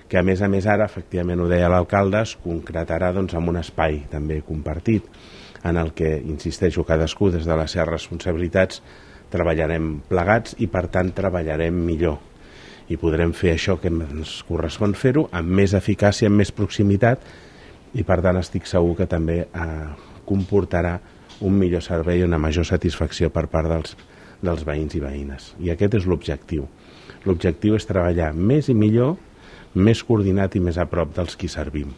que a més ara, efectivament ho deia l'alcalde, es concretarà amb un espai també compartit, en el que, insisteixo, cadascú des de les seves responsabilitats treballarem plegats i per tant treballarem millor i podrem fer això que ens correspon fer-ho amb més eficàcia, amb més proximitat, i per tant estic segur que també comportarà un millor servei i una major satisfacció per part dels veïns i veïnes. I aquest és l'objectiu. L'objectiu és treballar més i millor, més coordinat i més a prop dels qui servim.